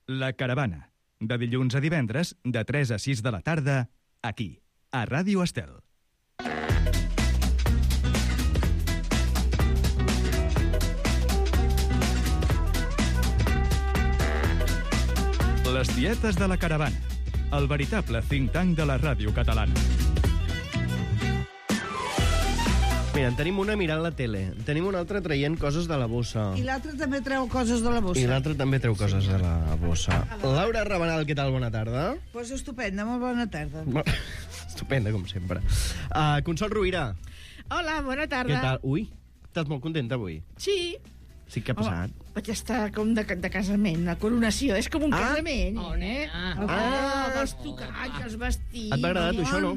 La Caravana, de dilluns a divendres, de 3 a 6 de la tarda, aquí, a Ràdio Estel. Les tietes de la Caravana, el veritable think tank de la ràdio catalana. Mira, en tenim una mirant la tele, en tenim una altra traient coses de la bossa. I l'altre també treu coses de la bossa. I l'altre també treu coses de la bossa. Laura Rabanal, què tal? Bona tarda. Pues estupenda, molt bona tarda. Estupenda, com sempre. Consol Rovira. Hola, bona tarda. Què tal? Ui, estàs molt contenta avui? Sí. Sí, què ha passat? Vaig estar com de casament, la coronació. És com un casament. Oh, nena. Els tocats, els vestits... Et va agradar, tu, això, no?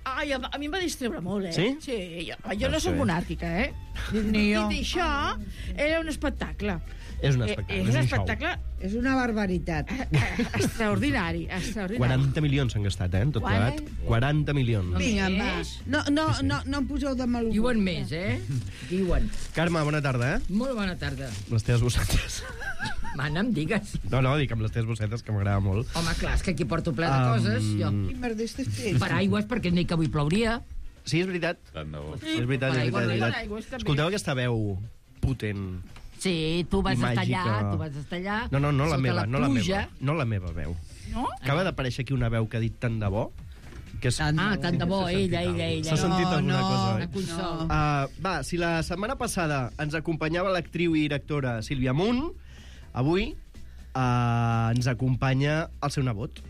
Ai, a mi em va distreure molt, Sí? Sí, jo no soc monàrquica, Ni jo. I això era un espectacle. És un espectacle, És un espectacle És una barbaritat. extraordinari, extraordinari. 40 milions s'han gastat, en tot plegat. 40 milions. Vinga, va. No em poseu de mal humor. Diuen més, Diuen. Carme, bona tarda, Molt bona tarda. Les teves bossetes. Mana, em digues. No, dic amb les teves bossetes, que m'agrada molt. Home, clar, és que aquí porto ple de coses, jo. Quin merder estàs fent? Paraigües, perquè ni que avui plouria. Sí, és veritat. Tant de bo. És veritat, és Paraigües, veritat. paraigües, també. Escolteu aquesta veu potent. Sí, tu vas estar Màgica. allà, tu vas estar allà. No la sota meva, no la pluja. meva. No la meva veu. No? Acaba d'aparèixer aquí una veu que ha dit tant de bo, que és... Tant de bo, ella. S'ha sentit alguna cosa, La Consol. Va, si la setmana passada ens acompanyava l'actriu i directora Sílvia Munt, avui ens acompanya el seu nebot,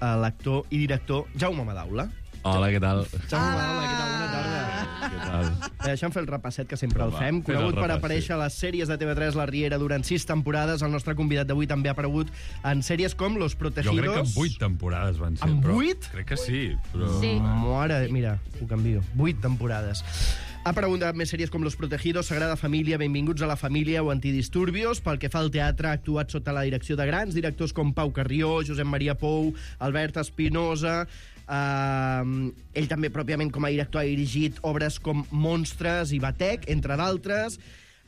l'actor i director Jaume Madaula. Hola, què tal? Jaume Madaula, què tal? Bona tarda. Què tal? Deixa'm fer el repasset, que sempre el Va, fem. fes el Conegut per repàs, aparèixer a les sèries de TV3 La Riera durant 6 temporades, el nostre convidat d'avui també ha aparegut en sèries com Los Protegidos. Jo crec que en 8 temporades van ser. En però 8? Crec que sí, però... Sí. Mare, mira, ho canvio. 8 temporades. Ha aparegut en més sèries com Los Protegidos, Sagrada Família, Benvinguts a la Família o Antidisturbios. Pel que fa al teatre, ha actuat sota la direcció de grans directors com Pau Carrió, Josep Maria Pou, Albert Espinosa. Ell també, pròpiament, com a director, ha dirigit obres com Monstres i Batec, entre d'altres.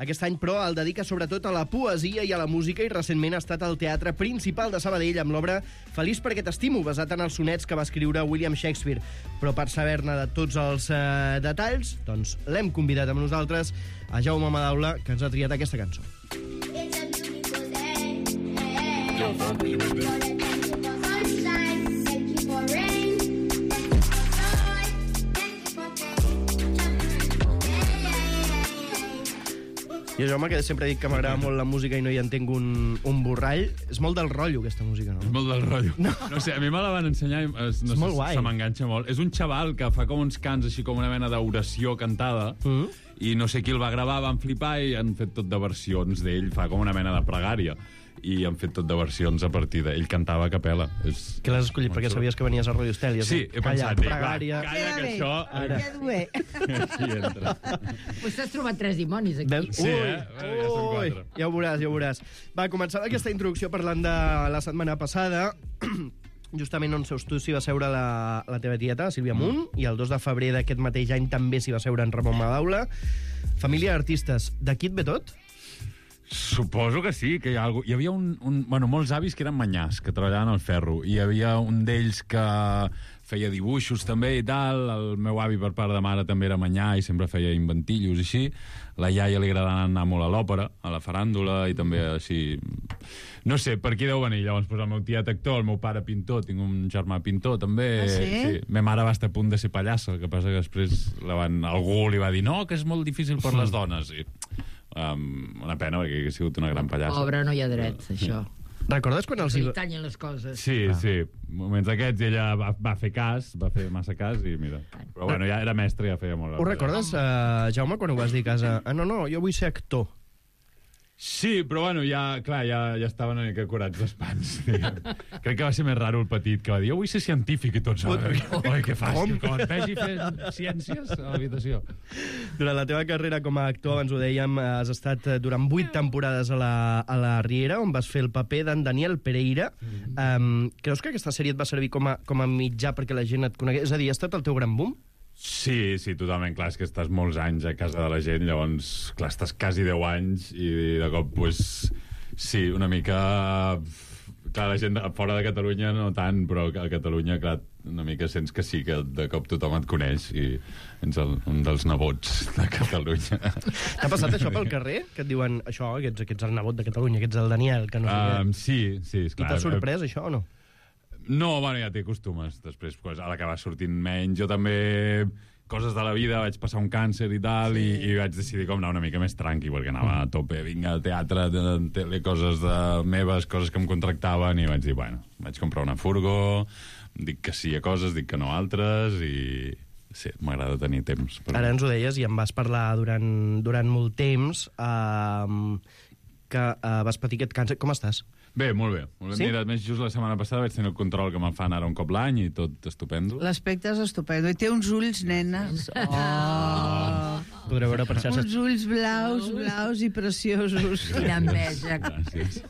Aquest any, però, el dedica sobretot a la poesia i a la música i recentment ha estat al Teatre Principal de Sabadell amb l'obra Feliç perquè t'estimo, basat en els sonets que va escriure William Shakespeare. Però per saber-ne de tots els detalls, doncs l'hem convidat amb nosaltres a Jaume Madaula, que ens ha triat aquesta cançó. Jo, Jaume, que sempre dic que m'agrada molt la música i no hi entenc un borrall. És molt del rotllo, aquesta música, no? És molt del rotllo. No sé, a mi me la van ensenyar i molt guai. se m'enganxa molt. És un xaval que fa com uns cants així com una mena d'oració cantada i no sé qui el va gravar, van flipar i han fet tot de versions d'ell, fa com una mena de pregària i han fet tot de versions a partir d'ell. Cantava a capella. Que l'has escollit perquè sabies que venies a Radio Estel. Sí, he pensat, pregària. calla, que això... Ara. Queda bé. Així entra. Pues t'has trobat 3 dimonis aquí. Veus? Sí, ja són 4. Ja ho veuràs. Va, començava aquesta introducció parlant de la setmana passada. Justament on seus tu s'hi va seure la teva tieta, Sílvia Munt, i el 2 de febrer d'aquest mateix any també s'hi va seure en Ramon Madaula. Família d'artistes. D'aquí et ve tot? Suposo que sí, que hi ha algú... Hi havia molts avis que eren manyars, que treballaven al ferro, i hi havia un d'ells que feia dibuixos també i tal, el meu avi per part de mare també era manyà i sempre feia inventillos i així, la iaia li agradava anar molt a l'òpera, a la faràndula i també així... No sé, per aquí deu venir, llavors el meu tiet actor, el meu pare pintor, tinc un germà pintor també. Ah, sí? Sí. Ma mare va estar a punt de ser pallassa, el que passa que després algú li va dir no, que és molt difícil per les dones, i... una pena, perquè ha sigut una gran pallassa. Pobre, no hi ha drets, això. Recordes quan els... Se li tallen les coses. Sí, sí. Moments aquests ella va fer cas, va fer massa cas i mira. Però bueno, ja era mestre, ja feia molt. Ho recordes, Jaume, quan ho vas dir a casa? No, jo vull ser actor. Sí, però bueno, ja estaven una mica curats les pans. Crec que va ser més raro el petit, que va dir, jo vull ser científic i tots. Oi, què fas? Com et vegi fent ciències a l'habitació. Durant la teva carrera com a actor, abans ho dèiem, has estat durant 8 temporades a la Riera, on vas fer el paper d'en Daniel Pereira. Creus que aquesta sèrie et va servir com a mitjà perquè la gent et conegués? És a dir, ha estat el teu gran boom? Sí, totalment, clar, és que estàs molts anys a casa de la gent, llavors, clar, estàs quasi 10 anys i de cop, pues, sí, una mica... Clar, la gent fora de Catalunya no tant, però a Catalunya, clar, una mica sents que sí, que de cop tothom et coneix i ets un dels nebots de Catalunya. T'ha passat això pel carrer? Que et diuen, això, que ets el nebot de Catalunya, que ets el Daniel, que no sé què. Sí, I esclar. t'ha sorprès, això, o no? No, bueno, ja t'hi acostumes. Després, pues, a l'acabar sortint menys. Jo també, coses de la vida, vaig passar un càncer i tal, i vaig decidir com anar una mica més tranqui, perquè anava a tope, vinga, al teatre, tele, coses meves, coses que em contractaven, i vaig dir, bueno, vaig comprar una furgo, dic que sí a coses, dic que no a altres, i sí, m'agrada tenir temps. Ara ens ho deies i em vas parlar durant molt temps que vas patir aquest càncer. Com estàs? Bé, molt bé. Sí? Mira, més just la setmana passada vaig tenir el control que me'n fan ara un cop l'any i tot estupendo. L'aspecte és estupendo. I té uns ulls, nenes. Oh. Podreu veure per xarxes. Uns ulls blaus i preciosos. Quina enveja. Gràcies.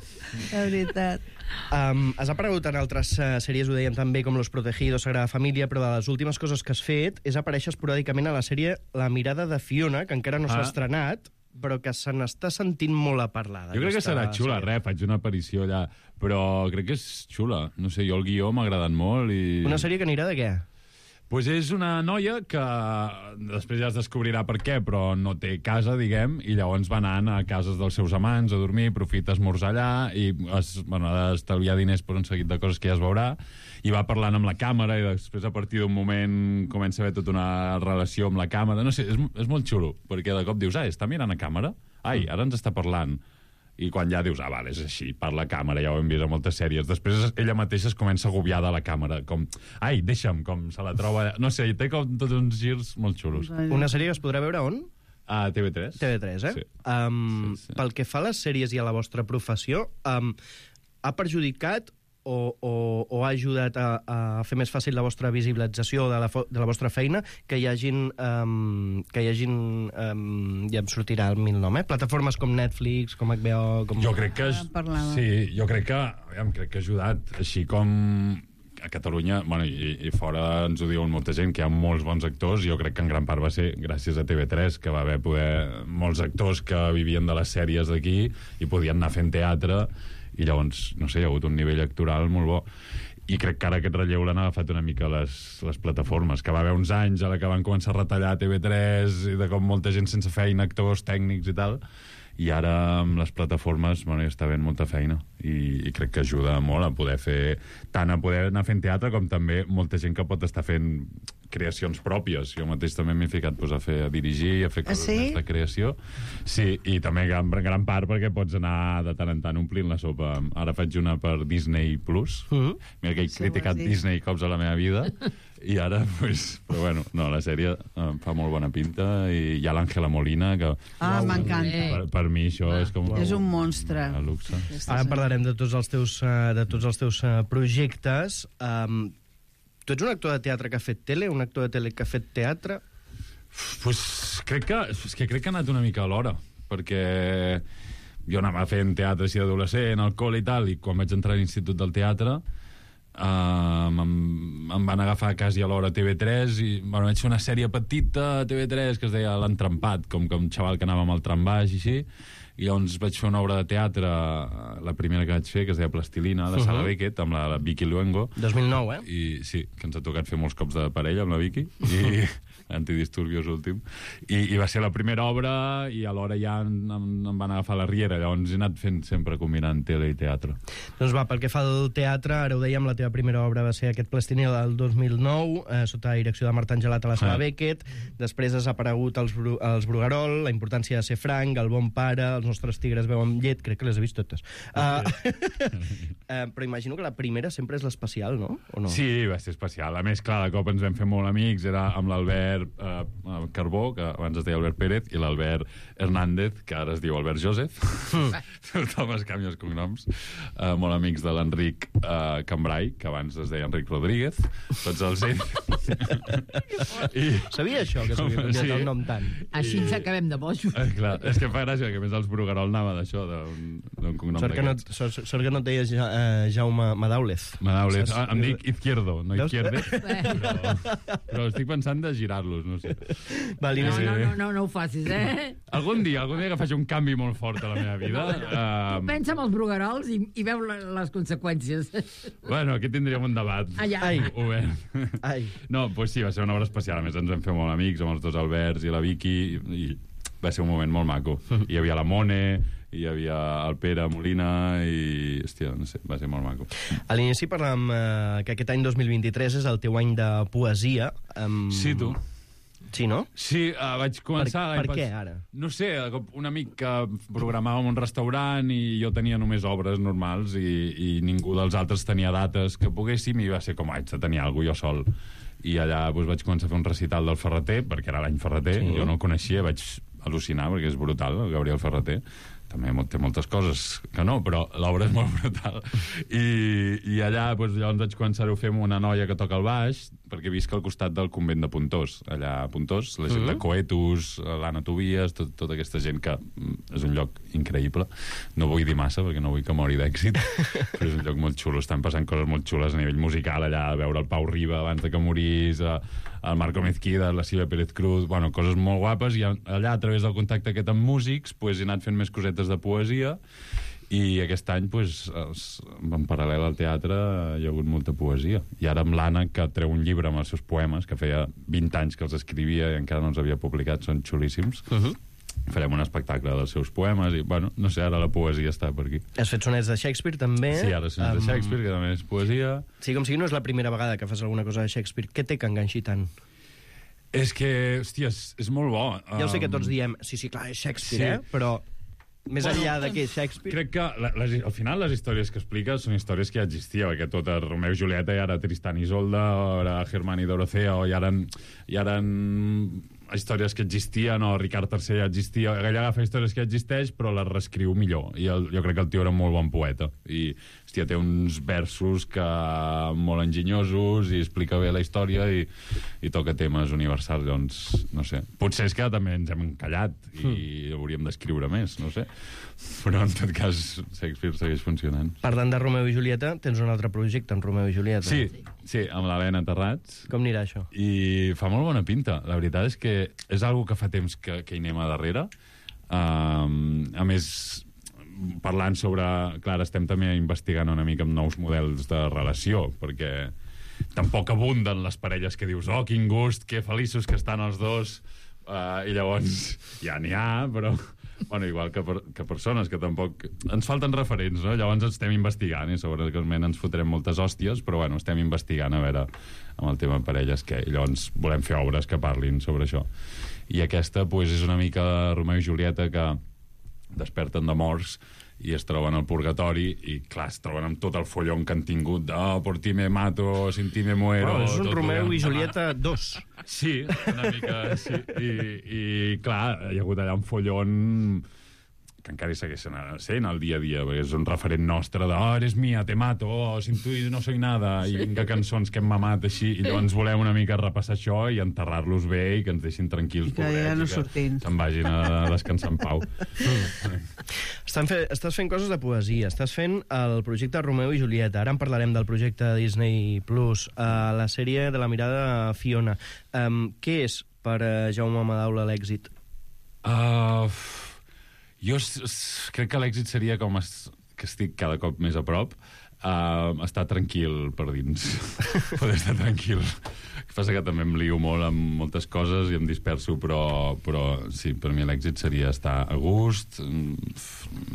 La veritat. Has aparegut en altres sèries, ho dèiem també, com Los Protegidos, Sagrada Família, però de les últimes coses que has fet és aparèixer esporàdicament a la sèrie La mirada de Fiona, que encara no s'ha estrenat, però que se n'està sentint molt a parlar. Jo crec que serà xula, faig una aparició allà, però crec que és xula. No sé, jo el guió m'ha agradat molt i... Una sèrie que anirà de què? Pues és una noia que després ja es descobrirà per què, però no té casa, diguem, i llavors va anant a cases dels seus amants a dormir, aprofita esmorzar allà i ha d'estalviar diners per un seguit de coses que ja es veurà, i va parlant amb la càmera i després a partir d'un moment comença a haver tota una relació amb la càmera. No sé, és molt xulo, perquè de cop dius, està mirant a càmera? Ai, ara ens està parlant. I quan ja dius, vale, és així, parla a càmera, ja ho hem vist a moltes sèries. Després ella mateixa es comença a agobiar de la càmera, com, ai, deixa'm, com se la troba... No sé, té com tots uns girs molt xulos. Una sèrie que es podrà veure on? A TV3. TV3, Sí. Sí. Pel que fa a les sèries i a la vostra professió, ha perjudicat o ha ajudat a fer més fàcil la vostra visibilització de la vostra feina que hi hagin ja em sortirà el mil nom, plataformes com Netflix, com HBO... Com... Jo crec que... Sí, jo crec que ha ajudat, així com a Catalunya, bueno, i fora ens ho diuen molta gent, que hi ha molts bons actors, jo crec que en gran part va ser gràcies a TV3, que va haver molts actors que vivien de les sèries d'aquí i podien anar fent teatre, i llavors, no sé, hi ha hagut un nivell actoral molt bo. I crec que ara aquest relleu l'han agafat una mica les plataformes, que va haver uns anys a la que van començar a retallar TV3 i de com molta gent sense feina, actors, tècnics i tal, i ara amb les plataformes hi està havent molta feina i crec que ajuda molt a poder fer, tant a poder anar fent teatre com també molta gent que pot estar fent creacions pròpies. Jo mateix també m'he ficat a dirigir, a fer coses més de creació. Sí, i també gran part perquè pots anar de tant en tant omplint la sopa. Ara faig una per Disney Plus. Mira que he criticat Disney cops a la meva vida. I ara, però bueno, no, la sèrie fa molt bona pinta i hi ha l'Àngela Molina, que... m'encanta. Per mi això és com... És un monstre. Un luxe. Ara parlarem de tots els teus projectes. Tu ets un actor de teatre que ha fet tele, un actor de tele que ha fet teatre? Crec que ha anat una mica a l'hora, perquè jo anava fent teatre així d'adolescent, alcohol i tal, i quan vaig entrar a l'Institut del Teatre em van agafar quasi a l'hora a TV3 i vaig fer una sèrie petita a TV3 que es deia L'Entrampat, com un xaval que anava amb el trambaix i així, i llavors vaig fer una obra de teatre, la primera que vaig fer, que es deia Plastilina, de Sala Beckett, amb la Vicky Luengo. 2009, I sí, que ens ha tocat fer molts cops de parella amb la Vicky, i Antidisturbios últim. I va ser la primera obra, i alhora ja em van agafar la riera, llavors he anat fent sempre combinant tele i teatre. Doncs va, pel que fa al teatre, ara ho dèiem, la teva primera obra va ser aquest Plastilina del 2009, sota la direcció de Marta Angelat a la Sala Beckett. Després has aparegut els Bruguerol, La importància de ser franc, El bon pare, Els nostres tigres beuen llet, crec que les he vist totes. Però imagino que la primera sempre és l'especial, no? O no? Sí, va ser especial. A més, clar, de cop ens vam fer molt amics, era amb l'Albert Carbó, que abans es deia Albert Pérez, i l'Albert Hernández, que ara es diu Albert Joseph. Tothom es canvia els cognoms. Molt amics de l'Enric Cambrai, que abans es deia Enric Rodríguez. Tots els ells... Sabia això, que s'havia canviat el nom tant? Així ens acabem de bojos. Clar, és que fa gràcia, que a més els Bruguerol anava d'això, d'un cognom d'aquests. Sort que no et deies Jaume Madaulez. Madaulez. Em dic Izquierdo, no Izquierde, però estic pensant de girar-los, no sé. Va, No ho facis, Algun dia que faci un canvi molt fort a la meva vida... Pensa en els bruguerols i veu les conseqüències. Bueno, aquí tindríem un debat obert. No, doncs sí, va ser una obra especial. A més, ens vam fer molt amics amb els dos Alberts i la Vicky, i va ser un moment molt maco. Hi havia la Mone, hi havia el Pere Molina, i, hòstia, no sé, va ser molt maco. A l'inici parlàvem que aquest any 2023 és el teu any de poesia. Sí, tu. Sí, no? Sí, vaig començar... Per què, ara? No sé, un amic que programava un restaurant i jo tenia només obres normals i ningú dels altres tenia dates que poguéssim, i va ser com, haig de tenir alguna cosa jo sol. I allà vaig començar a fer un recital del Ferreter, perquè era l'any Ferreter, jo no el coneixia, vaig al·lucinar, perquè és brutal, el Gabriel Ferreter. També té moltes coses que no, però l'obra és molt brutal. I allà llavors vaig començar-ho a fer amb una noia que toca el baix, perquè visc al costat del convent de Pontós. Allà a Pontós, la gent de Coetus, l'Anna Tobias, tota aquesta gent que és un lloc increïble. No vull dir massa, perquè no vull que mori d'èxit, però és un lloc molt xulo. Estan passant coses molt xules a nivell musical allà, a veure el Pau Riba abans de que morís, el Marco Mezquida, la Sílvia Pérez Cruz, bueno, coses molt guapes, i allà, a través del contacte aquest amb músics, he anat fent més cosetes de poesia, i aquest any, en paral·lel al teatre, hi ha hagut molta poesia. I ara amb l'Anna, que treu un llibre amb els seus poemes, que feia 20 anys que els escrivia i encara no els havia publicat, són xulíssims, farem un espectacle dels seus poemes, i, bueno, no sé, ara la poesia està per aquí. Has fet sonets de Shakespeare, també? Sí, ara sonets de Shakespeare, que també és poesia. Sí, com sigui, no és la primera vegada que fas alguna cosa de Shakespeare. Què té que enganxi tant? És que, hòstia, és molt bo. Ja ho sé que tots diem, sí, clar, és Shakespeare, però més enllà de que és Shakespeare... Crec que, al final, les històries que explica són històries que ja existien, perquè tot a Romeu i Julieta, i ara Tristan i Isolda, ara Germán i Dorothea, i ara històries que existien, o Ricard III ja existia. Ell agafa històries que ja existeix, però les reescriu millor. I jo crec que el tio era un molt bon poeta. I, hòstia, té uns versos molt enginyosos, i explica bé la història, i toca temes universals. Doncs, no sé. Potser és que també ens hem encallat, i hauríem d'escriure més, no sé. Però, en tot cas, Shakespeare segueix funcionant. Parlant de Romeu i Julieta, tens un altre projecte en Romeu i Julieta. Sí, amb l'Helena Terrats. Com anirà això? I fa molt bona pinta. La veritat és que és algo que fa temps que hi anem a darrere. A més, parlant sobre... Clar, estem també investigant una mica amb nous models de relació, perquè tampoc abunden les parelles que dius, oh, quin gust, que feliços que estan els dos, i llavors ja n'hi ha, però... Bueno, igual que persones que tampoc... Ens falten referents, no? Llavors estem investigant, i segurament ens fotrem moltes hòsties, però bueno, estem investigant a veure amb el tema de parelles què. I llavors volem fer obres que parlin sobre això. I aquesta, és una mica Romeu i Julieta que desperten de morts i es troben al purgatori, i clar, es troben amb tot el follon que han tingut de por ti me mato, sin ti me muero... És un Romeu i Julieta 2. Sí, una mica, sí. I clar, hi ha hagut allà un follon que encara hi segueix sent al dia a dia, perquè és un referent nostre de eres mia, te mato, sin tu no soy nada, i vinga cançons que hem mamat així, i llavors volem una mica repassar això i enterrar-los bé i que ens deixin tranquils, pobrets, ja no sortim, se'n vagin a descansar en pau. Estàs fent coses de poesia, estàs fent el projecte Romeu i Julieta, ara en parlarem del projecte Disney Plus, la sèrie de la mirada Fiona. Què és per Jaume Madaula l'èxit? Jo crec que l'èxit seria com que estic cada cop més a prop, estar tranquil per dins. Poder estar tranquil. El que passa que també em lio molt amb moltes coses i em disperso, però sí, per mi l'èxit seria estar a gust,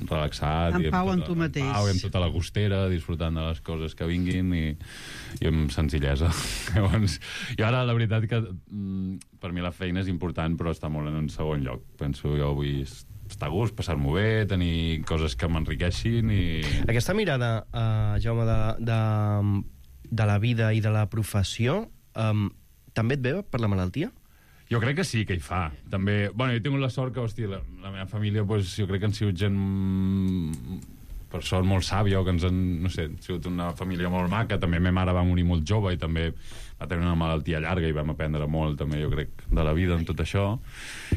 relaxat, en pau amb tu mateix, en pau, amb tota la gustera, disfrutant de les coses que vinguin, i amb senzillesa. Llavors, i ara la veritat que per mi la feina és important, però està molt en un segon lloc. Penso, jo vull estar a gust, passar-m'ho bé, tenir coses que m'enriqueixin i... Aquesta mirada, Jaume, de la vida i de la professió, també et ve per la malaltia? Jo crec que sí, que hi fa. També, bueno, jo he tingut la sort que, hòstia, la meva família, jo crec que han sigut gent per sort molt sàvia, o que ens han, no sé, sigut una família molt maca. També ma mare va morir molt jove i també va tenir una malaltia llarga i vam aprendre molt, també, jo crec, de la vida en tot això.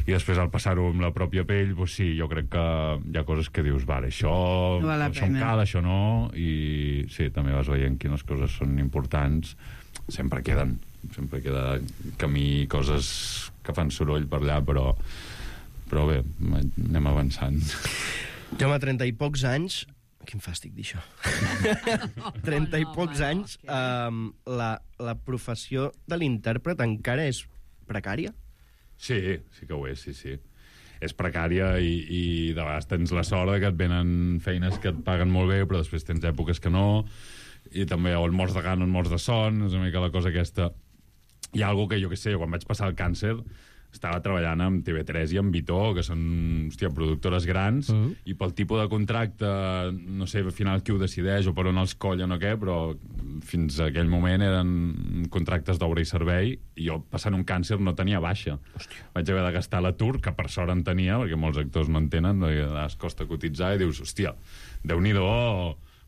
I després, al passar-ho amb la pròpia pell, doncs sí, jo crec que hi ha coses que dius, vale, això em cal, això no, i sí, també vas veient quines coses són importants. Sempre queda camí, coses que fan soroll per allà, però bé, anem avançant. Jo, a 30 i pocs anys... Quin fàstic dir això. 30 i pocs anys, la professió de l'intèrpret encara és precària? Sí que ho és, sí. És precària i de vegades tens la sort que et venen feines que et paguen molt bé, però després tens èpoques que no, i també o et mors de gana o et mors de son, és una mica la cosa aquesta. Hi ha alguna que, jo què sé, quan vaig passar el càncer estava treballant amb TV3 i amb Vitó, que són, productores grans, i pel tipus de contracte, no sé, al final qui ho decideix o per on els collen o què, però fins a aquell moment eren contractes d'obra i servei, i jo, passant un càncer, no tenia baixa. Hòstia. Vaig haver de gastar l'atur, que per sort en tenia, perquè molts actors no en tenen, es costa cotitzar, i dius, hòstia, Déu-n'hi-do,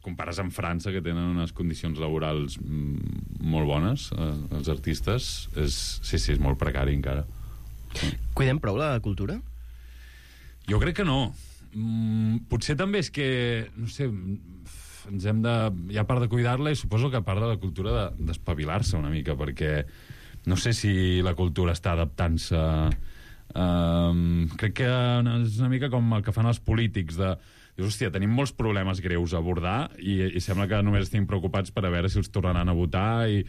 compares amb França, que tenen unes condicions laborals molt bones, els artistes, és molt precari encara. Cuidem prou la cultura? Jo crec que no. Potser també és que, no sé, ens hem de... Hi ha part de cuidar-la i suposo que part de la cultura d'espavilar-se una mica, perquè no sé si la cultura està adaptant-se... crec que és una mica com el que fan els polítics de... Dius, hòstia, tenim molts problemes greus a abordar i sembla que només estem preocupats per a veure si els tornaran a votar i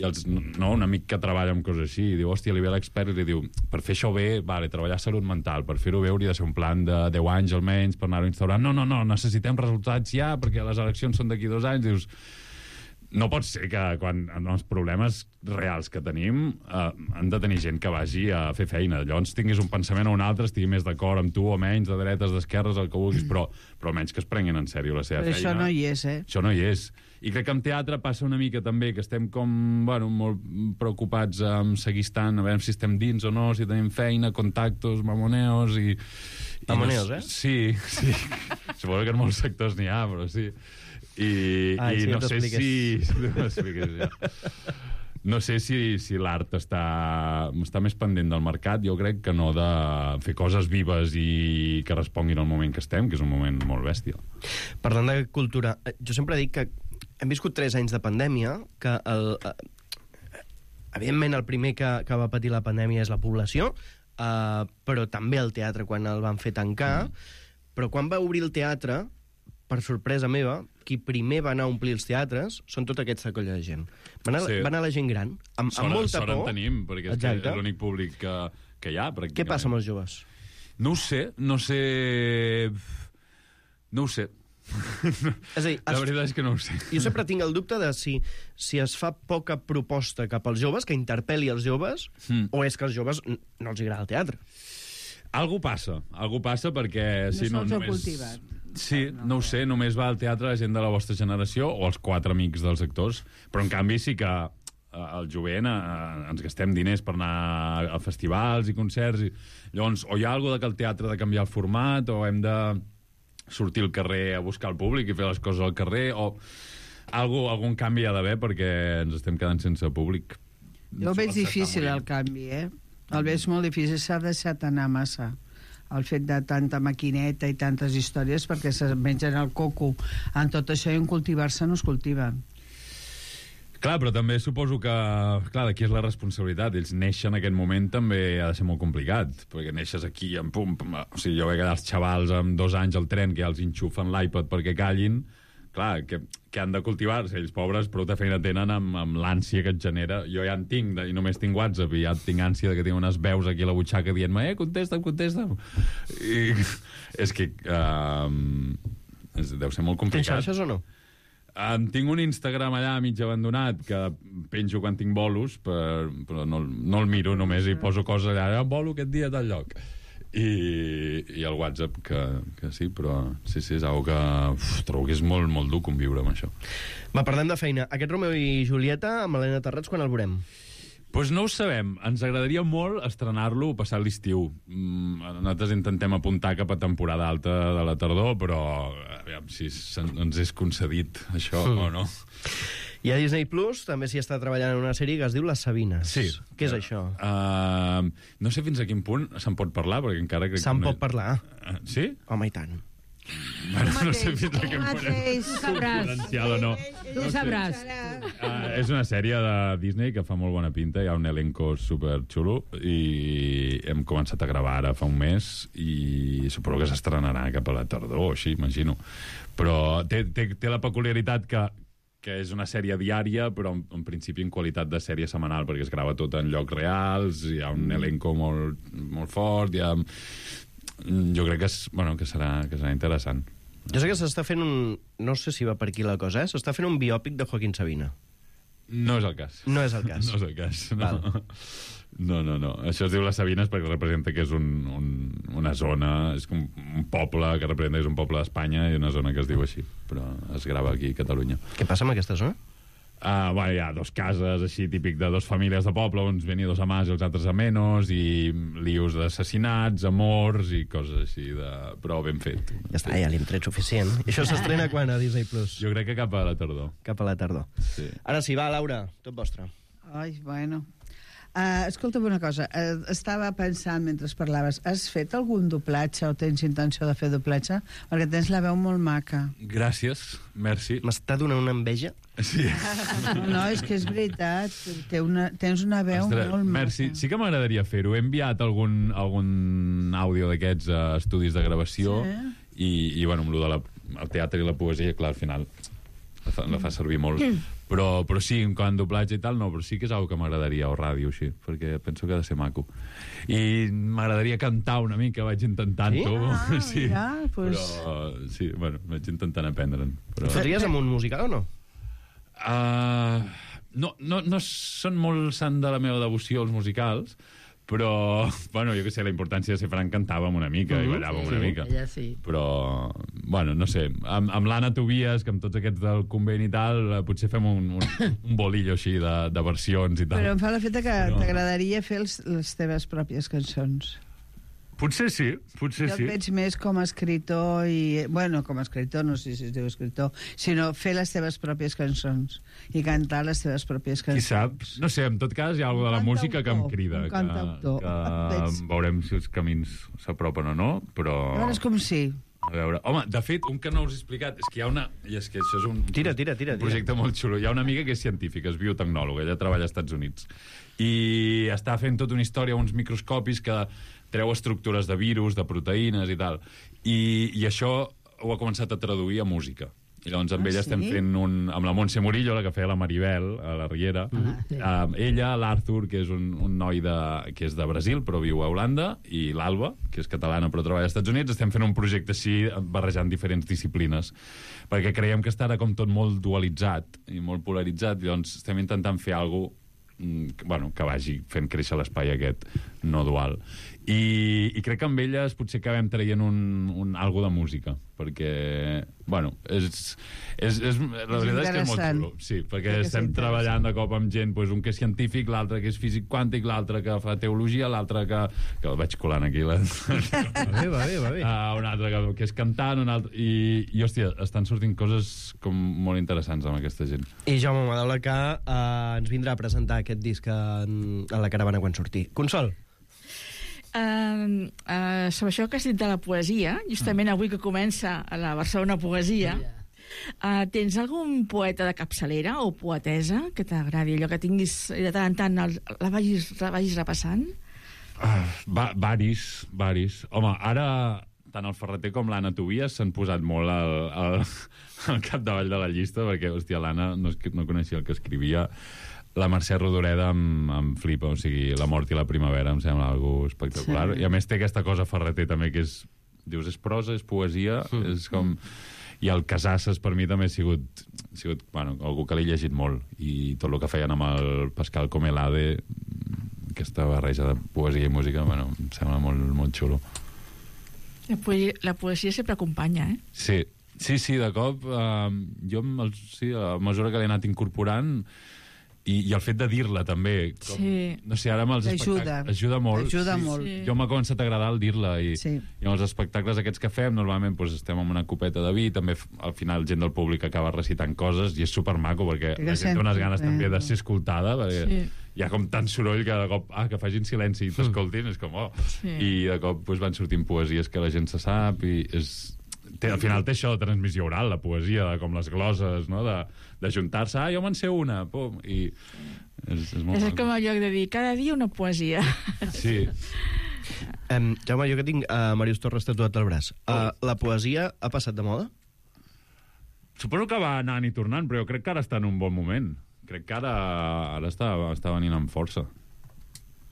un amic que treballa amb coses així i diu, hòstia, li ve l'expert i li diu per fer això bé, vale, treballar salut mental, per fer-ho bé hauria de ser un plan de 10 anys almenys per anar-ho instaurant. No, necessitem resultats ja perquè les eleccions són d'aquí 2 anys. Dius, no pot ser que quan els problemes reals que tenim han de tenir gent que vagi a fer feina. Llavors tinguis un pensament o un altre, estigui més d'acord amb tu o menys, de dretes, d'esquerres, el que vulguis, però almenys que es prenguin en sèrio la seva feina. Això no hi és, Això no hi és. I crec que en teatre passa una mica també, que estem com, molt preocupats amb seguir estant, a veure si estem dins o no, si tenim feina, contactos, mamoneos i... Mamoneos, Sí. Suposo que en molts sectors n'hi ha, però sí. I no sé no sé si l'art està més pendent del mercat, jo crec que no de fer coses vives i que responguin al moment que estem, que és un moment molt bèstia. Parlant de cultura, jo sempre dic que hem viscut 3 anys de pandèmia, que evidentment el primer que va patir la pandèmia és la població, però també el teatre quan el van fer tancar, però quan va obrir el teatre, per sorpresa meva, qui primer va anar a omplir els teatres són tot aquesta colla de gent. Va anar la gent gran, amb molta por. Sort en tenim, perquè és l'únic públic que hi ha, pràcticament. Què passa amb els joves? No ho sé. És a dir, la veritat és que no ho sé. Jo sempre tinc el dubte de si es fa poca proposta cap als joves, que interpel·li els joves, o és que als joves no els agrada el teatre. Algú passa perquè... No se'ls ha cultivat. Sí, no ho sé, només va al teatre la gent de la vostra generació o els 4 amics dels actors, però en canvi sí que al jovent ens gastem diners per anar a festivals i concerts, i llavors o hi ha alguna cosa que el teatre ha de canviar el format o hem de sortir al carrer a buscar el públic i fer les coses al carrer, o algun canvi hi ha d'haver perquè ens estem quedant sense públic. Jo veig difícil el canvi, el veig molt difícil, s'ha deixat anar massa el fet de tanta maquineta i tantes històries, perquè se mengen el coco en tot això i en cultivar-se no es cultiven. Clar, però també suposo que... Clar, d'aquí és la responsabilitat. Ells néixer en aquest moment també ha de ser molt complicat, perquè neixes aquí en pum... O sigui, jo veig els xavals amb 2 anys al tren que ja els enxufen l'iPad perquè callin. Clar, que han de cultivar-se. Ells, pobres, prou de feina tenen amb l'ànsia que et genera. Jo ja en tinc, i només tinc WhatsApp, i ja tinc ànsia que tinc unes veus aquí a la butxaca dient-me contesta'm. I és que deu ser molt complicat. Tens xarxes o no? Tinc un Instagram allà mig abandonat que penjo quan tinc bolos, però no el miro, només hi poso coses allà, bolo aquest dia a tal lloc. I el WhatsApp que sí, però sí, és algo que trobo que és molt, molt dur conviure amb això. Va, parlem de feina. Aquest Romeu i Julieta amb Helena Terrats, quan el veurem? Doncs no ho sabem. Ens agradaria molt estrenar-lo passat l'estiu. Nosaltres intentem apuntar cap a temporada alta de la tardor, però aviam si ens és concedit això o no. I a Disney Plus també s'hi està treballant en una sèrie que es diu Les Sabines. Sí. Què és això? No sé fins a quin punt se'n pot parlar, perquè encara crec Se'n que... pot parlar? Sí? Home, i tant. Bueno, no sé fins a quin punt és Tu sabràs. confidencial o no. Tu sabràs. És una sèrie de Disney que fa molt bona pinta, hi ha un elenco superxulo i hem començat a gravar ara fa un mes i suposo que s'estrenarà cap a la tardor, així, imagino. Però té la peculiaritat que és una sèrie diària, però en principi en qualitat de sèrie setmanal, perquè es grava tot en llocs reals, hi ha un elenco molt fort, hi ha... Jo crec que serà interessant. Jo sé que s'està fent un... No sé si va per aquí la cosa, s'està fent un biòpic de Joaquín Sabina. No és el cas. No és el cas. No és el cas, no. Val. No. Això es diu Les Sabines perquè representa que és una zona, és com un poble que representa que és un poble d'Espanya i una zona que es diu així, però es grava aquí a Catalunya. Què passa amb aquesta zona? Hi ha dos cases així típic de dos famílies de poble, uns venidos a más i els altres a menos, i lius d'assassinats, amors i coses així, però ben fet. Ja està, ja li hem tret suficient. I això s'estrena quan a Disney Plus? Jo crec que cap a la tardor. Cap a la tardor. Sí. Ara sí, va, Laura, tot vostre. Ai, bueno. Escolta'm una cosa, estava pensant mentre parlaves, has fet algun doblatge o tens intenció de fer doblatge? Perquè tens la veu molt maca. Gràcies, merci. M'està donant una enveja? Sí. No, és que és veritat, tens una veu Ostres, molt maca. merci. Sí que m'agradaria fer-ho. He enviat algun àudio d'aquests a estudis de gravació i bueno, amb el teatre i la poesia, clar, al final la fa servir molt. Però sí, quan doblatge i tal, no, però sí que és una que m'agradaria, o ràdio, així, perquè penso que ha de ser maco. I m'agradaria cantar una mica, vaig intentant-ho. Sí? Ja, pues... Però, sí, bueno, vaig intentant aprendre'n. Però... Faries amb un musical o no? No són molt sant de la meva devoció els musicals, però, bueno, jo què sé, la importància de ser franc, cantàvem una mica i ballàvem una mica. Ella sí. Però, bueno, no sé, amb l'Anna Tobias, que amb tots aquests del convent i tal, potser fem un bolillo així de versions i tal. Però em fa l'efecte que t'agradaria fer les teves pròpies cançons. Potser sí. Jo et veig més com a escritor i... Bueno, com a escritor, no sé si es diu escritor, sinó fer les teves pròpies cançons i cantar les teves pròpies cançons. Qui sap? No sé, en tot cas hi ha alguna de la música que em crida. Un cantautor. Que veurem si els camins s'apropen o no, però... A veure, és com si... A veure, home, de fet, un que no us he explicat és que hi ha una... I és que això és un projecte molt xulo. Hi ha una amiga que és científica, és biotecnòloga, ella treballa als Estats Units. I està fent tota una història, uns microscopis que treu estructures de virus, de proteïnes i tal. I això ho ha començat a traduir a música. I llavors amb ella estem fent amb la Montse Murillo, la que feia la Maribel a la Riera, ella, l'Arthur, que és un noi que és de Brasil però viu a Holanda, i l'Alba, que és catalana però treballa als Estats Units, estem fent un projecte així barrejant diferents disciplines, perquè creiem que estarà com tot molt dualitzat i molt polaritzat, i llavors estem intentant fer alguna cosa que vagi fent créixer l'espai aquest no dual. I crec que amb elles potser acabem traient algo de música, perquè, bueno, la veritat és que és molt xulo. Sí, perquè estem treballant de cop amb gent, un que és científic, l'altre que és físic quàntic, l'altre que fa teologia, l'altre que el vaig colant aquí. Va bé. Un altre que és cantant, un altre... I, hòstia, estan sortint coses com molt interessants amb aquesta gent. I Jaume Madaula, que ens vindrà a presentar aquest disc a la caravana quan surti. Consol? Sobre això que has dit de la poesia, justament avui que comença a la Barcelona Poesia, tens algun poeta de capçalera o poetesa que t'agradi, allò que tinguis de tant en tant la vagis repassant? Varis. Home, ara tant el Ferreter com l'Anna Tobias s'han posat molt al capdavall de la llista, perquè, hòstia, l'Anna no coneixia el que escrivia. La Mercè Rodoreda em flipa, o sigui, La mort i la primavera em sembla algo espectacular. Sí. I a més té aquesta cosa Ferreter també que és... Dius, és prosa, és poesia, és com... I el Casasses per mi també ha sigut algú que l'he llegit molt. I tot el que feien amb el Pascal Comelade, aquesta barreja de poesia i música, em sembla molt, molt xulo. La poesia sempre acompanya, eh? Sí, de cop, jo, a mesura que l'he anat incorporant, I el fet de dir-la, també. Com, Sí. No sé, ara amb els espectacles... Ajuda molt. Ajuda molt. Sí. Jo m'ha començat a agradar el dir-la i amb els espectacles aquests que fem normalment doncs, estem amb una copeta de vi, també al final gent del públic acaba recitant coses i és supermaco perquè la gent té unes ganes també de ser escoltada perquè hi ha com tant soroll que de cop que facin silenci i t'escoltin, és com i de cop doncs, van sortint poesies que la gent se sap i al final té això de transmissió oral, la poesia, com les gloses, no? de juntar-se, jo me'n sé una, pum, i és molt És maco. com el lloc de dir, cada dia una poesia. Sí. Jaume, jo que tinc Màrius Torres tatuat al braç, la poesia ha passat de moda? Suposo que va anant i tornant, però jo crec que ara està en un bon moment. Crec que ara està venint amb força.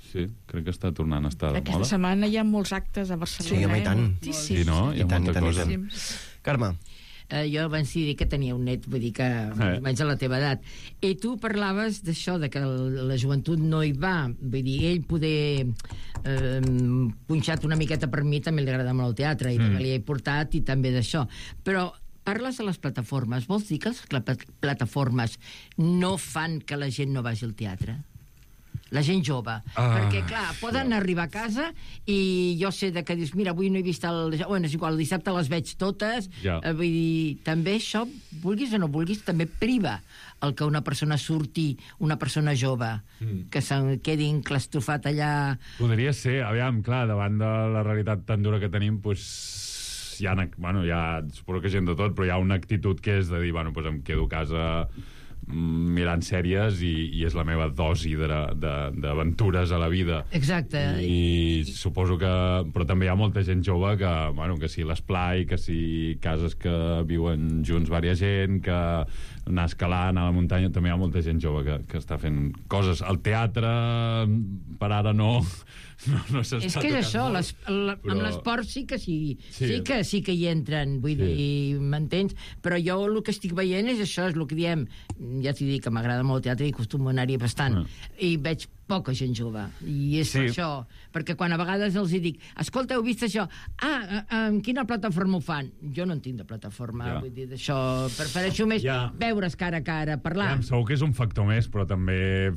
Sí, crec que està tornant a estar de moda. Aquesta setmana hi ha molts actes a Barcelona. Sí, home, i tant. Sí, no? Hi ha molta cosa. Carme. Jo abans dir que tenia un net, vull dir que més o menys a la teva edat. I tu parlaves d'això, de que la joventut no hi va. Vull dir, ell poder punxat una miqueta per mi també li agrada molt el teatre i també li he portat i també d'això. Però parles de les plataformes. Vols dir que les plataformes no fan que la gent no vagi al teatre? La gent jove. Perquè, clar, poden arribar a casa i jo sé que dius, mira, avui no he vist Bueno, és igual, el dissabte les veig totes. Vull dir, també això, vulguis o no vulguis, també priva el que una persona surti, una persona jove, que se'n quedi enclastrofat allà... Podria ser, aviam, clar, davant de la realitat tan dura que tenim, doncs... hi ha, suposo que gent de tot, però hi ha una actitud que és de dir, bueno, doncs em quedo a casa mirant sèries i és la meva dosi d'aventures a la vida. Exacte. I suposo que... Però també hi ha molta gent jove que si l'esplai, que si cases que viuen junts vària gent, que anar escalant a la muntanya, també hi ha molta gent jove que està fent coses. El teatre, per ara no s'està és que és això, amb l'esport sí que hi entren, vull dir, m'entens? Però jo el que estic veient és això, és el que diem, ja t'hi dic que m'agrada molt el teatre i acostumo a anar-hi bastant, i veig poca gent jove, i és això, perquè quan a vegades els hi dic, escolta, heu vist això? En quina plataforma ho fan? Jo no en tinc de plataforma, vull dir, d'això, prefereixo més veure's cara a cara, parlar. Segur que és un factor més, però també...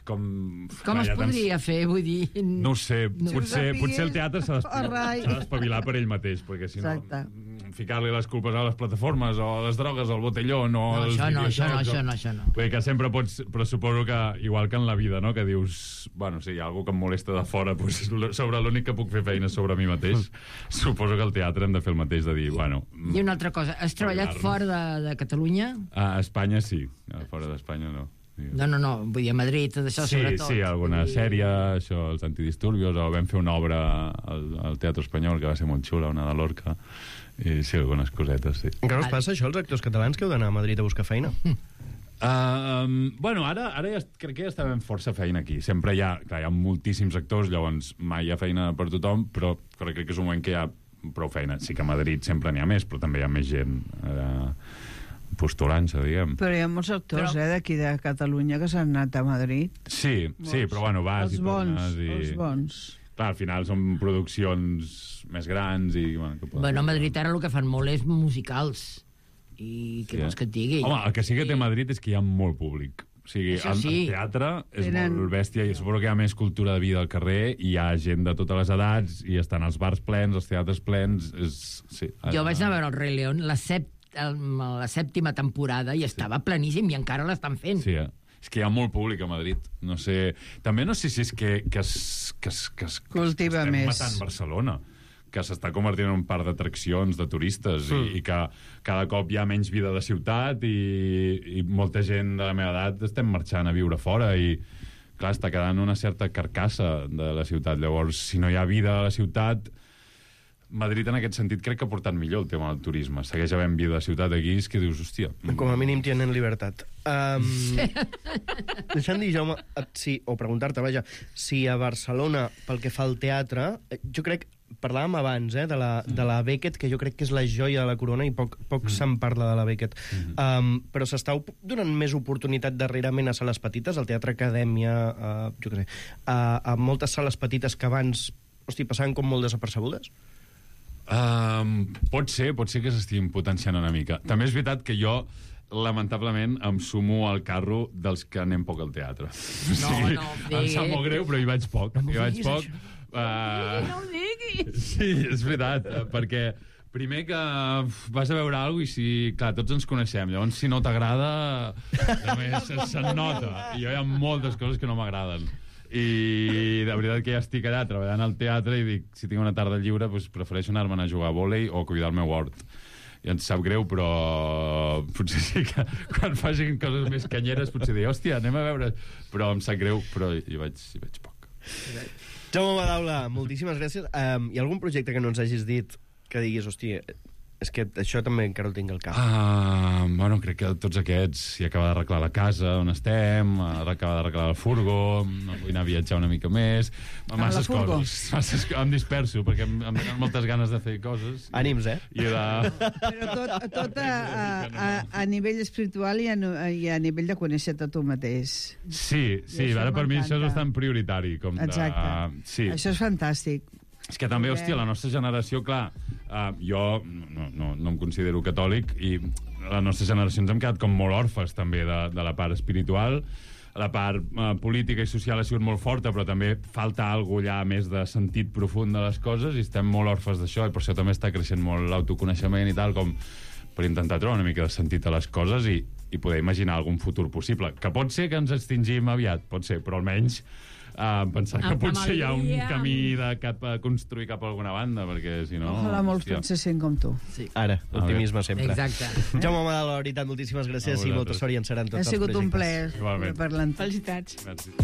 Com es podria fer, vull dir... No ho sé, potser el teatre s'ha d'espavilar per ell mateix, perquè si no, ficar-li les culpes a les plataformes o a les drogues, al botelló, no... Això no. Vull dir que sempre pots... Però suposo que, igual que en la vida, no?, que dius, bueno, si hi ha algú que em molesta de fora, doncs sobre l'únic que puc fer feina sobre mi mateix, suposo que al teatre hem de fer el mateix, de dir, bueno... I una altra cosa, has treballat fora de Catalunya? A Espanya sí, fora d'Espanya no. No, vull dir, a Madrid, tot això, sobretot. Sí, alguna sèrie, això, els antidisturbios, o vam fer una obra al Teatre Espanyol, que va ser molt xula, una de Lorca, i sí, algunes cosetes, sí. Encara us passa això, els actors catalans que heu d'anar a Madrid a buscar feina? Bueno, ara ja crec que ja estem força feina aquí. Sempre hi ha moltíssims actors, llavors mai hi ha feina per tothom, però crec que és un moment que hi ha prou feina. Sí que a Madrid sempre n'hi ha més, però també hi ha més gent postulant-se, diguem. Però hi ha molts actors, d'aquí de Catalunya que s'han anat a Madrid. Sí, però bueno, vas i tornes. Els bons. Clar, al final són produccions més grans i... Bueno, a Madrid ara el que fan molt és musicals. I què vols que et digui? Home, el que sí que té Madrid és que hi ha molt públic. O sigui, el teatre és molt bèstia i suposo que hi ha més cultura de vida al carrer i hi ha gent de totes les edats i estan els bars plens, els teatres plens... Jo vaig anar a veure el Rei León la 7ª temporada i estava pleníssim i encara l'estan fent. Sí, és que hi ha molt públic a Madrid. No sé... També no sé si és que cultiva estem més. Matant Barcelona, que s'està convertint en un parc d'atraccions de turistes i que cada cop hi ha menys vida de ciutat i molta gent de la meva edat estem marxant a viure fora i clar, està quedant una certa carcassa de la ciutat. Llavors, si no hi ha vida a la ciutat... Madrid, en aquest sentit, crec que ha portat millor el tema del turisme. Segueix havent vida de ciutat aquí, és que dius, hòstia... Com a mínim tienen libertat. Deixa'm dir, Jaume, o preguntar-te, vaja, si a Barcelona, pel que fa al teatre, jo crec, parlàvem abans, de la Beckett, que jo crec que és la joia de la corona i poc se'n parla de la Beckett. Però s'està donant més oportunitat darrerament a sales petites, al Teatre Acadèmia, jo què sé, a moltes sales petites que abans, passaven com molt desapercebudes? Pot ser que s'estiguin potenciant una mica. També és veritat que jo lamentablement, em sumo al carro dels que anem poc al teatre. No, em sap molt greu, però hi vaig poc. No ho diguis. Sí, és veritat, perquè primer que vas a veure alguna cosa i si, clar, tots ens coneixem, llavors si no t'agrada, se'n nota. I jo hi ha moltes coses que no m'agraden. I de veritat que ja estic allà treballant al teatre i dic, si tinc una tarda lliure, doncs prefereixo anar-me'n a jugar a vòlei o cuidar el meu hort. I ens sap greu, però potser sí que quan facin coses més canyeres potser dir, hòstia, anem a veure... Però em sap greu, però hi vaig poc. Jaume Madaula, moltíssimes gràcies. Hi ha algun projecte que no ens hagis dit que diguis, hòstia, és que això també encara ho tinc al cap? Bueno, crec que tots aquests, si acaba d'arreglar la casa on estem, acaba d'arreglar el furgo, no vull anar a viatjar una mica més, masses coses. Em disperso, perquè em venen moltes ganes de fer coses. Ànims, eh? Però tot a nivell espiritual i a nivell de conèixer-te tu mateix. Sí, ara per mi això és bastant prioritari. Exacte. Sí. Això és fantàstic. És que també, hòstia, la nostra generació, clar, jo no em considero catòlic i la nostra generació ens hem quedat com molt orfes també de la part espiritual. La part política i social ha sigut molt forta, però també falta alguna cosa més de sentit profund de les coses i estem molt orfes d'això i per això també està creixent molt l'autoconeixement i tal, com per intentar trobar una mica de sentit a les coses i poder imaginar algun futur possible. Que pot ser que ens extingim aviat, pot ser, però almenys pensar que potser hi ha un camí a construir cap a alguna banda, perquè si no... Ojalà molts pensessin com tu. Sí. Ara, optimisme sempre. Exacte. Jaume Madaula, la veritat, moltíssimes gràcies i molta sort i encerar tots els projectes. Ha sigut un plaer parlar amb tu. Felicitats. Merci.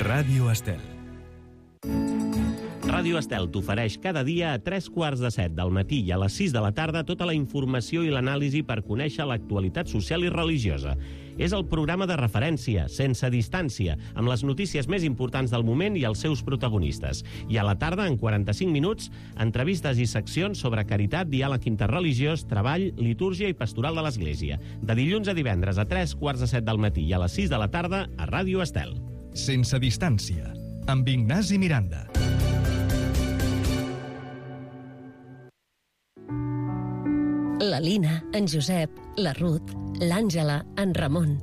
Ràdio Estel. Ràdio Estel t'ofereix cada dia a 7:15 del matí i a les 6 de la tarda tota la informació i l'anàlisi per conèixer l'actualitat social i religiosa. És el programa de referència, sense distància, amb les notícies més importants del moment i els seus protagonistes. I a la tarda, en 45 minuts, entrevistes i seccions sobre caritat, diàleg interreligiós, treball, litúrgia i pastoral de l'Església. De dilluns a divendres a 7:15 del matí i a les 6 de la tarda a Ràdio Estel. Sense distància, amb Ignasi Miranda. La Lina, en Josep, la Ruth, l'Àngela, en Ramon.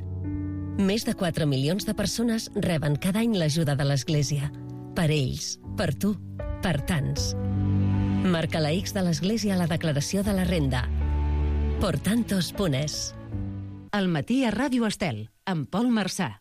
Més de 4 milions de persones reben cada any l'ajuda de l'Església. Per ells, per tu, per tants. Marca la X de l'Església a la declaració de la renda. Por tantos.es. Al matí a Ràdio Estel, amb Pol Marçà.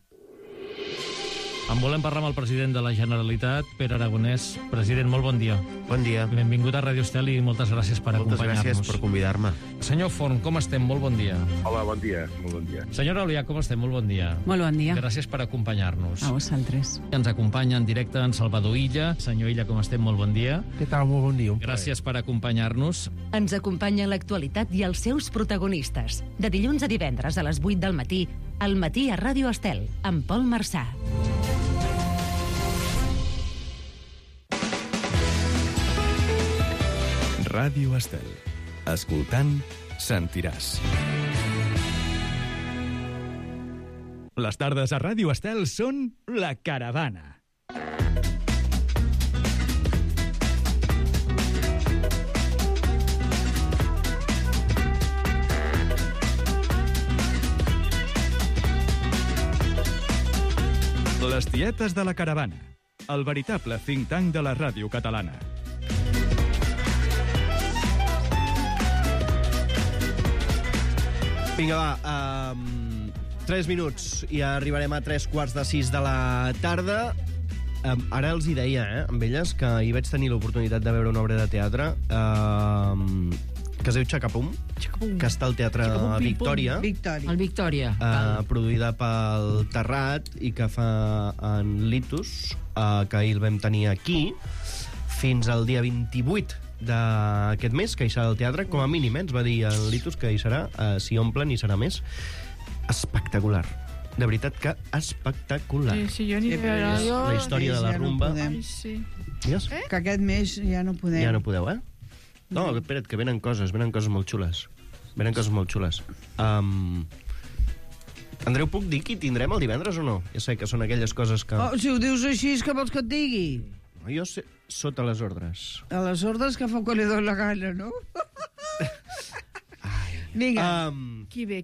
En volem parlar amb el president de la Generalitat, Pere Aragonès. President, molt bon dia. Bon dia. Benvingut a Ràdio Estel i moltes gràcies per acompanyar-nos. Moltes gràcies per convidar-me. Senyor Forn, com estem? Molt bon dia. Hola, bon dia. Molt bon dia. Senyora Olià, com estem? Molt bon dia. Molt bon dia. Gràcies per acompanyar-nos. A vosaltres. Ens acompanya en directe en Salvador Illa. Senyor Illa, com estem? Molt bon dia. Què tal? Molt bon dia. Gràcies per acompanyar-nos. Ens acompanya l'actualitat i els seus protagonistes. De dilluns a divendres a les 8 del matí, al matí a Ràdio Estel, amb Pol Marçà. Ràdio Estel. Escoltant, sentiràs. Les tardes a Ràdio Estel són La Caravana. Les tietes de La Caravana. El veritable think tank de la ràdio catalana. Vinga, va, 3 minuts i arribarem a 5:45 de la tarda. ara els hi deia, amb elles, que hi vaig tenir l'oportunitat de veure una obra de teatre que es diu Xacapum, que està al Teatre Victòria. El Victòria. Produïda pel Terrat i que fa en Litus, que ahir el vam tenir aquí, fins al dia 28 d'aquest mes, que hi serà al teatre, com a mínim, ens va dir en Litus que hi serà, si omplen hi serà més. Espectacular. De veritat que espectacular. Sí, jo ni veure. La història de la rumba. Que aquest mes ja no podem. Ja no podeu, eh? No, espera't, que venen coses molt xules. Andreu, puc dir qui tindrem el divendres o no? Ja sé que són aquelles coses que... Si ho dius així, és que vols que et digui? Jo sé, sota les ordres. A les ordres que fa quan li doy la gana, no? Vinga. Qui ve?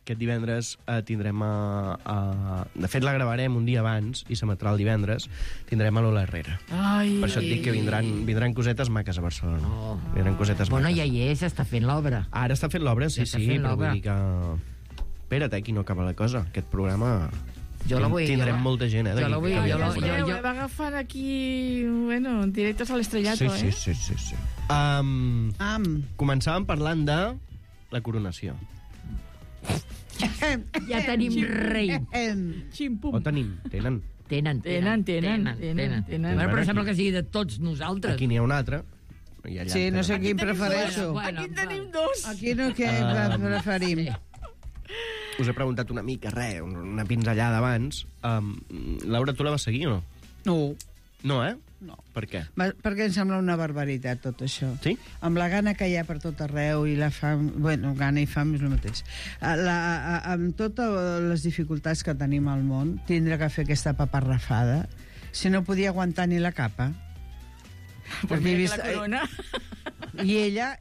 Aquest divendres tindrem de fet, la gravarem un dia abans i s'emetrà el divendres. Tindrem a Lola Herrera. Per això et dic que vindran cosetes maques a Barcelona. Vindran cosetes maques. Bueno, ja hi és, està fent l'obra. Ara està fent l'obra, sí, però vull dir que... Espera't, aquí no acaba la cosa. Aquest programa... Tindrem molta gent, Jo la vull agafant aquí, directes a l'estrellato, Sí. Començàvem parlant de la coronació. Ja tenim rei. O tenen. Tenen. Però sembla que sigui de tots nosaltres. Aquí n'hi ha un altre. Sí, no sé quin prefereixo. Aquí tenim dos. Aquí no què preferim. Us he preguntat una mica, una pinzellada abans. Laura, tu la vas seguir o no? No. No, No. Per què? Perquè em sembla una barbaritat, tot això. Sí? Amb la gana que hi ha per tot arreu i la fam... Bueno, gana i fam és el mateix. Amb totes les dificultats que tenim al món, tindre que fer aquesta paparrafada, si no podia aguantar ni la capa. Perquè he vist... La corona... I ella,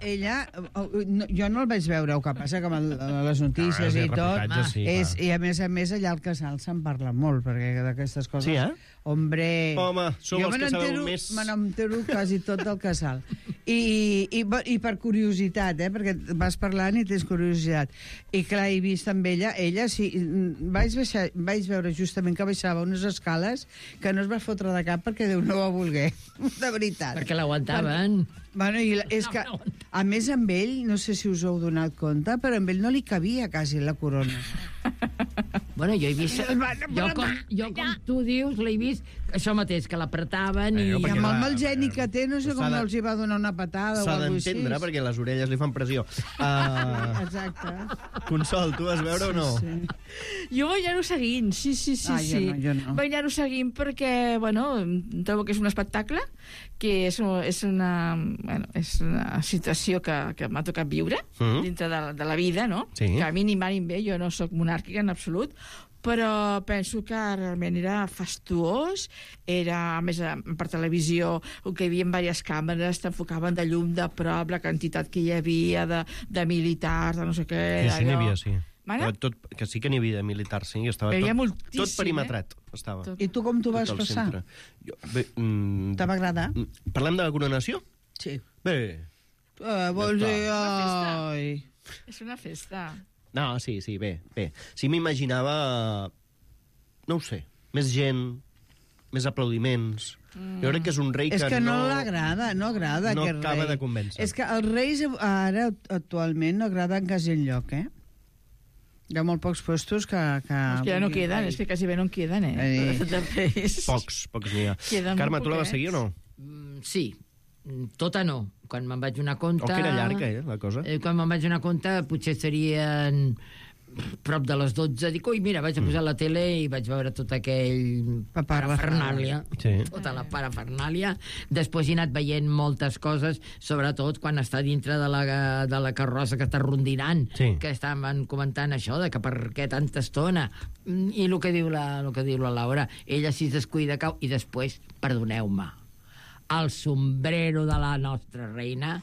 jo no el vaig veure, el que passa que amb les notícies i tot, i a més allà al casal se'n parla molt, perquè d'aquestes coses... Sí, Home, sou els que sabeu més... Me n'entero quasi tot del casal. I per curiositat, perquè vas parlant i tens curiositat. I clar, he vist amb ella sí, vaig veure justament que baixava unes escales que no es va fotre de cap perquè Déu no ho volgué, de veritat. Perquè l'aguantaven. Bueno, és que, a més, amb ell, no sé si us heu donat compte, però amb ell no li cabia quasi la corona. Bueno, jo he vist... Jo, com tu dius, l'he vist això mateix, que l'apretaven i... I amb el mal geni que té, no sé com no els hi va donar una patada o alguna cosa així. S'ha d'entendre, perquè les orelles li fan pressió. Exacte. Consol, tu vas veure o no? Sí. Jo vaig anar-ho seguint, sí. Jo no. Vaig anar-ho seguint perquè, trobo que és un espectacle, que és una situació que m'ha tocat viure dintre de la vida, no? Sí. Que a mi ni mal ni bé, jo no sóc monàrquica en absolut, però penso que realment era fastuós, a més, per televisió, que hi havia diverses càmeres, t'enfocaven de llum de prop, la quantitat que hi havia de militars, de no sé què... Sí, n'hi havia, sí. Que sí que n'hi havia de militars, sí, estava tot perimetrat. Estava. I tu com t'ho vas passar? Te va agradar? Parlem de la coronació? Sí. Bé. Vols dir... És una festa. No, sí, bé. Sí, m'imaginava, no ho sé, més gent, més aplaudiments. Jo crec que és un rei que no... És que no agrada no aquest acaba rei. de convèncer. És que els reis ara, actualment, no agraden quasi enlloc, Hi ha molt pocs puestos que... És que ja no queden, és que quasi bé no en queden, Pocs n'hi ha. Carme, tu la vas seguir o no? Sí. Tota no. Quan me'n vaig donar compte... O que era llarga, la cosa? Quan me'n vaig donar compte, potser serien prop de les 12. Dic, ui, mira, vaig a posar la tele i vaig veure tot aquell parafernàlia. Sí. Tota la parafernàlia. Després he anat veient moltes coses, sobretot quan està dintre de la carrossa que està rondinant, que estaven comentant això, de que per què tanta estona. I el que diu la Laura, ella si es descuida cau, i després, perdoneu-me, el sombrero de la nostra reina,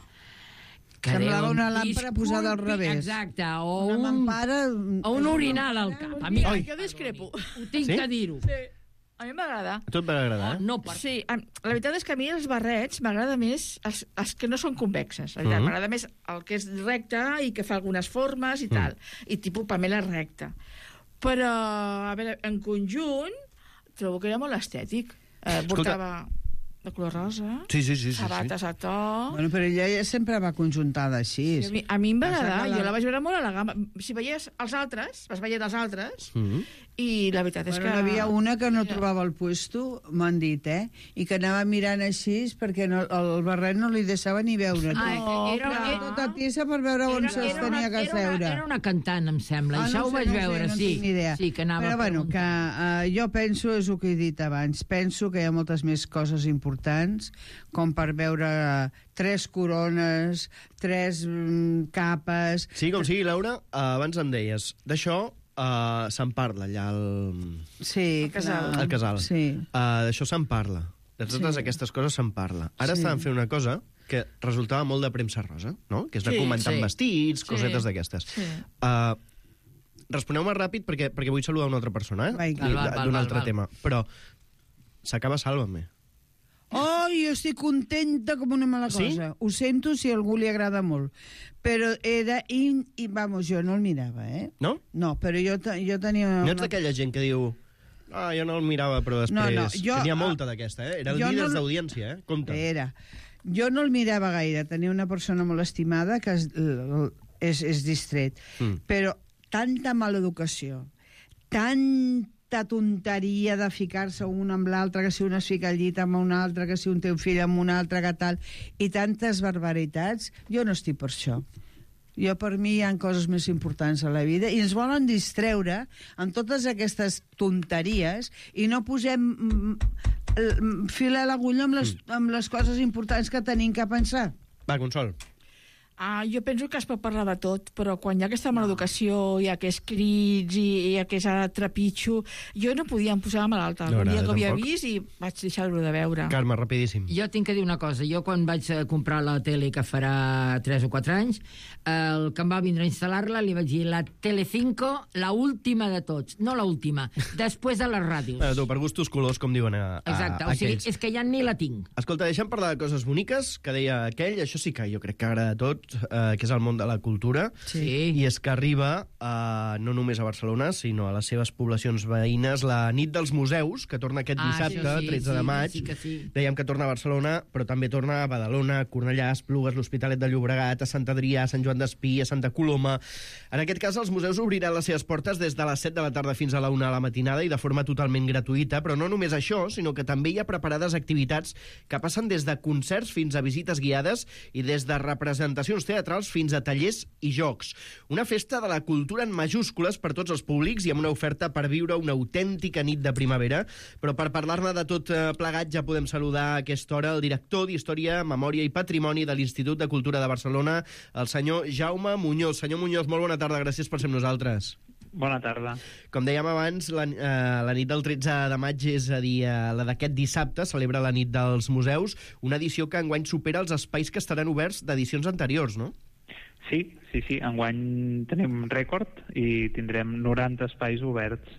que semblava una làmpara posada al revés. Exacte, o un orinal al cap. Amiga, jo discrepo. Ho tinc que dir-ho. Sí. A mi m'agrada. A tu et va agradar, Sí, la veritat és que a mi els barrets m'agrada més els que no són convexes. M'agrada més el que és recte i que fa algunes formes i tal. I tipus pamela recta. Però, a veure, en conjunt trobo que era molt estètic. Portava de color rosa, sabates a to... Bueno, però ella ja sempre va conjuntada així. Sí, a mi em va agradar, jo la vaig veure molt elegant. Si veies els altres, vas veient els altres, i la veritat és que... N'hi havia una que no trobava el puesto, m'han dit, i que anava mirant així perquè el barret no li deixava ni veure. Era tota tiesa per veure on se'ls tenia que seure. Era una cantant, em sembla, això ho vaig veure, sí. Sí, que anava... Però bueno, que jo penso, és el que he dit abans, penso que hi ha moltes més coses importants, com per veure 3 corones, 3 capes... Sí, com sigui, Laura, abans em deies, d'això se'n parla allà al casal. Sí. D'això se'n parla. De totes aquestes coses se'n parla. Ara estaven fent una cosa que resultava molt de premsa rosa, no? Que és de comentar vestits, cosetes d'aquestes. Responeu-me ràpid perquè vull saludar una altra persona, d'un altre tema. Però s'acaba Sálvame. Oh, jo estic contenta com una mala cosa. Ho sento si a algú li agrada molt. Però era... Vamos, jo no el mirava, No? No, però jo tenia... No ets d'aquella gent que diu... jo no el mirava, però després... N'hi ha molta d'aquesta, Era el líder d'audiència, Compte. Jo no el mirava gaire. Tenia una persona molt estimada que és distret. Però tanta maleducació, tanta tonteria de ficar-se un amb l'altre, que si un es fica al llit amb un altre, que si un té un fill amb un altre, que tal, i tantes barbaritats, jo no estic per això. Per mi hi ha coses més importants a la vida i ens volen distreure amb totes aquestes tonteries i no posem fil a l'agulla amb les coses importants que tenim que pensar. Va, Consol. Jo penso que es pot parlar de tot, però quan hi ha aquesta maleducació, hi ha aquests crits i hi ha aquest trepitjo, jo no podia posar malalta. El dia que ho havia vist i vaig deixar-ho de veure. Carme, rapidíssim. Jo tinc que dir una cosa. Jo quan vaig comprar la tele, que farà 3 o 4 anys, el que em va vindre a instal·lar-la li vaig dir la Telecinco, la última de tots. No la última, després de les ràdios. Per gustos colors, com diuen Exacte, o sigui, és que ja ni la tinc. Escolta, deixa'm parlar de coses boniques, que deia aquell, això sí que jo crec que agrada a tots, que és el món de la cultura, i és que arriba no només a Barcelona, sinó a les seves poblacions veïnes, la nit dels museus, que torna aquest dissabte, 13 de maig. Dèiem que torna a Barcelona, però també torna a Badalona, Cornellà, Esplugues, l'Hospitalet de Llobregat, a Sant Adrià, a Sant Joan d'Espí, a Santa Coloma. En aquest cas, els museus obriran les seves portes des de les 7 de la tarda fins a la 1 de la matinada i de forma totalment gratuïta, però no només això, sinó que també hi ha preparades activitats que passen des de concerts fins a visites guiades i des de representacions teatrals fins a tallers i jocs. Una festa de la cultura en majúscules per tots els públics i amb una oferta per viure una autèntica nit de primavera. Però per parlar-ne de tot plegat ja podem saludar a aquesta hora el director d'Història, Memòria i Patrimoni de l'Institut de Cultura de Barcelona, el senyor Jaume Muñoz. Senyor Muñoz, molt bona tarda, gràcies per ser amb nosaltres. Bona tarda. Com dèiem abans, la nit del 13 de maig, és a dir, la d'aquest dissabte, celebra la nit dels museus, una edició que enguany supera els espais que estaran oberts d'edicions anteriors, no? Sí. Enguany tenim rècord i tindrem 90 espais oberts.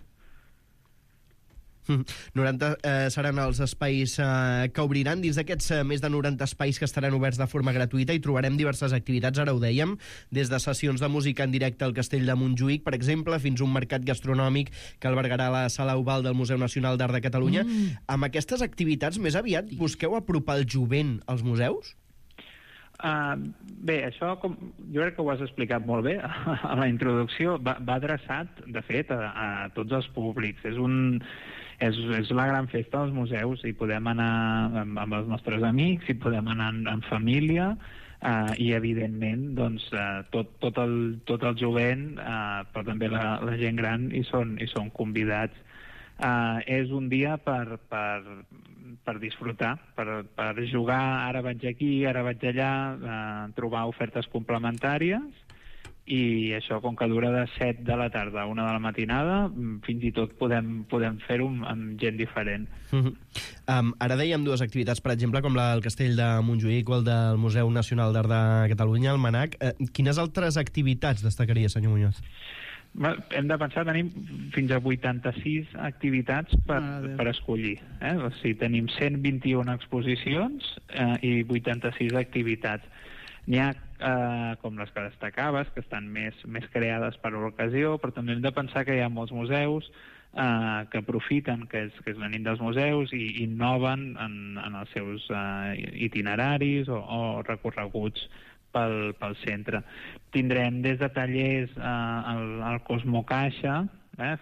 90 seran els espais que obriran. Dins d'aquests més de 90 espais que estaran oberts de forma gratuïta hi trobarem diverses activitats, ara ho dèiem, des de sessions de música en directe al Castell de Montjuïc, per exemple, fins a un mercat gastronòmic que albergarà la Sala Oval del Museu Nacional d'Art de Catalunya. Amb aquestes activitats, més aviat, busqueu apropar el jovent als museus? Bé, això jo crec que ho has explicat molt bé a la introducció. Va adreçat, de fet, a tots els públics. És la gran festa dels museus. Hi podem anar amb els nostres amics, hi podem anar en família, i evidentment doncs, tot el jovent, però també la gent gran hi són convidats. És un dia per disfrutar, per jugar, ara vaig aquí, ara vaig allà, trobar ofertes complementàries, i això, com que dura de 7 de la tarda a 1 de la matinada, fins i tot podem fer-ho amb gent diferent. Ara dèiem dues activitats, per exemple, com la del Castell de Montjuïc o el del Museu Nacional d'Art de Catalunya, el MNAC. Quines altres activitats destacaria, senyor Muñoz? Hem de pensar, tenim fins a 86 activitats per escollir. O sigui, tenim 121 exposicions i 86 activitats. N'hi ha, com les que destacaves, que estan més creades per a l'ocasió, però també hem de pensar que hi ha molts museus que aprofiten, que és la nit dels museus, i innoven en els seus itineraris o recorreguts pel centre. Tindrem des de tallers al Cosmo Caixa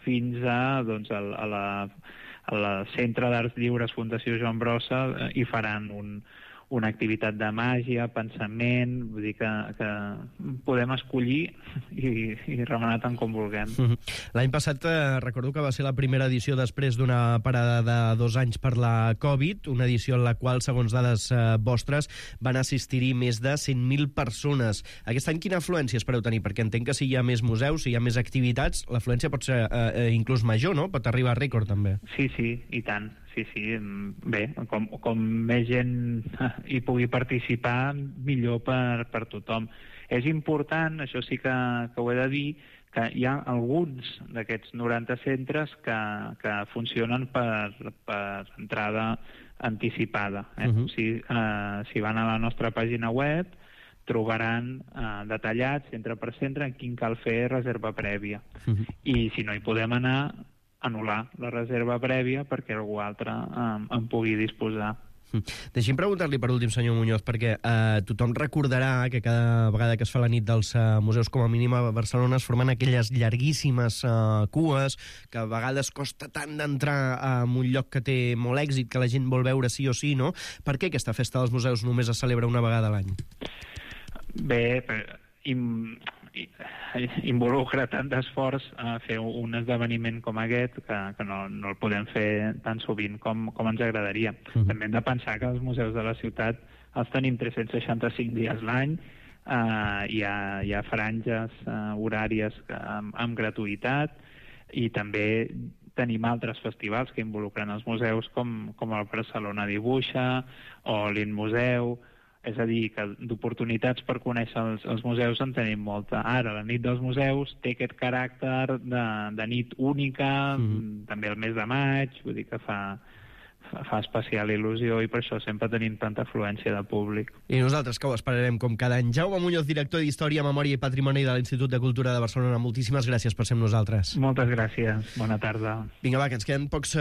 fins a la Centre d'Arts Lliures Fundació Joan Brossa, i faran una activitat de màgia, pensament, vull dir que podem escollir i remenar tant com vulguem. L'any passat recordo que va ser la primera edició després d'una parada de 2 anys per la Covid, una edició en la qual, segons dades vostres, van assistir-hi més de 100.000 persones. Aquest any quina afluència espereu tenir? Perquè entenc que si hi ha més museus, si hi ha més activitats, l'afluència pot ser inclús major, no? Pot arribar a rècord, també. Sí, i tant. Sí, bé, com més gent hi pugui participar, millor per tothom. És important, això sí que ho he de dir, que hi ha alguns d'aquests 90 centres que funcionen per entrada anticipada. Si van a la nostra pàgina web, trobaran detallats, centre per centre, en quin cal fer reserva prèvia. I si no hi podem anar, anul·lar la reserva prèvia perquè algú altre en pugui disposar. Deixi'm preguntar-li per últim, senyor Muñoz, perquè tothom recordarà que cada vegada que es fa la nit dels museus, com a mínim a Barcelona, es formen aquelles llarguíssimes cues que a vegades costa tant d'entrar en un lloc que té molt èxit, que la gent vol veure sí o sí, no? Per què aquesta festa dels museus només es celebra una vegada a l'any? Bé, involucra tant d'esforç a fer un esdeveniment com aquest que no el podem fer tan sovint com ens agradaria. També hem de pensar que els museus de la ciutat els tenim 365 dies l'any, hi ha franges horàries amb gratuïtat, i també tenim altres festivals que involucren els museus com el Barcelona Dibuixa o l'Inmuseu. És a dir, que d'oportunitats per conèixer els museus en tenim molta. Ara, la nit dels museus té aquest caràcter de nit única, també el mes de maig, vull dir que fa especial il·lusió, i per això sempre tenim tanta afluència de públic. I nosaltres que ho esperarem com cada any. Jaume Muñoz, director d'Història, Memòria i Patrimoni de l'Institut de Cultura de Barcelona, moltíssimes gràcies per ser amb nosaltres. Moltes gràcies, bona tarda. Vinga, va, que ens queden pocs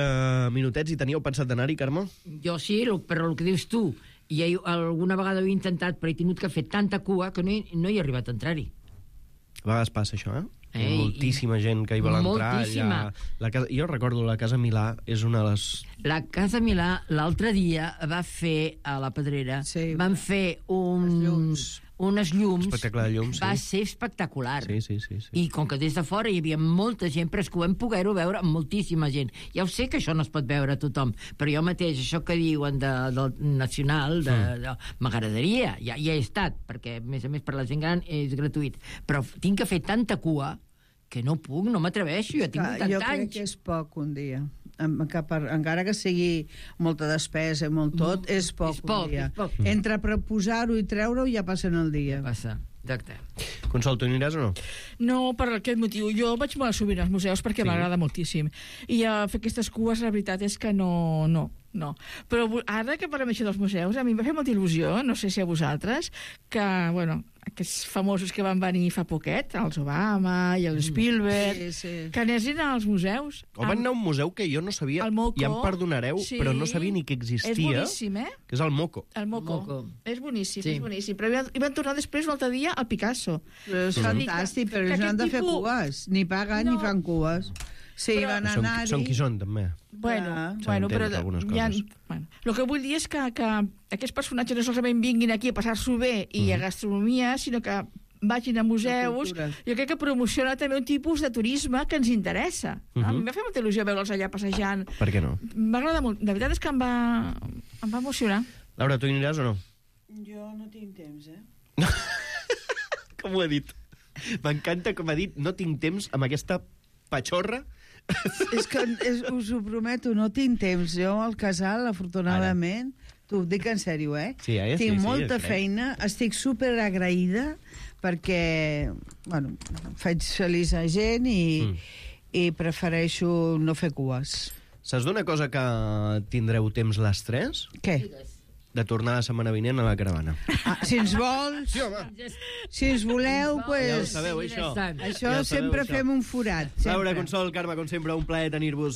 minutets. I teníeu pensat d'anar-hi, Carme? Jo sí, però el que dius tu, i alguna vegada ho he intentat, però he tingut que fer tanta cua que no he arribat a entrar-hi. A vegades passa això, Hi ha moltíssima gent que hi vol entrar. Moltíssima. Jo recordo la Casa Milà, és una de les... La Casa Milà l'altre dia va fer, a la Pedrera, van fer unes llums. Espectacle de llums, sí. Va ser espectacular. Sí. I com que des de fora hi havia molta gent, però és que ho vam poder-ho veure amb moltíssima gent. Ja ho sé que això no es pot veure a tothom, però jo mateix, això que diuen del Nacional, m'agradaria. Ja he estat, perquè, a més per la gent gran és gratuït. Però tinc que fer tanta cua que no puc, no m'atreveixo, jo tinc 80 anys. Jo crec que és poc un dia. Encara que sigui molta despesa i molt tot, és poc un dia. Entre proposar-ho i treure-ho ja passen el dia. Passa, exacte. Consol, tu aniràs o no? No, per aquest motiu. Jo vaig molt sovint als museus perquè m'agrada moltíssim. I fer aquestes cues, la veritat és que no. Però ara que parlem això dels museus, a mi em va fer molta il·lusió, no sé si a vosaltres, que, aquests famosos que van venir fa poquet, els Obama i el Spielberg, que anessin als museus. O van anar a un museu que jo no sabia, i em perdonareu, però no sabia ni que existia. És boníssim, que és el Moco. El Moco. És boníssim, és boníssim. Però hi van tornar després un altre dia al Picasso. És fantàstic, però no han de fer cues. Ni paguen ni fan cues. Sí, van anar-hi... Són qui són, també. Bueno, però el que vull dir és que aquests personatges no solament vinguin aquí a passar-s'ho bé i a gastronomia, sinó que vagin a museus. Jo crec que promociona també un tipus de turisme que ens interessa. A mi em va fer molta il·lusió veure'ls allà passejant. Per què no? M'agrada molt. La veritat és que em va emocionar. Laura, tu hi aniràs o no? Jo no tinc temps, Com ho he dit? M'encanta com ha dit, no tinc temps amb aquesta patxorra. És que us ho prometo, no tinc temps. Jo al casal, afortunadament, t'ho dic en sèrio, tinc molta feina, estic super agraïda perquè, faig feliç a gent i prefereixo no fer cues. Saps d'una cosa que tindreu temps les tres? Què? de tornar la setmana vinent a la caravana. Si ens vols, si ens voleu, pues... Ja ho sabeu, això. Això sempre fem un forat. Laura, Consol, Carme, com sempre, un plaer tenir-vos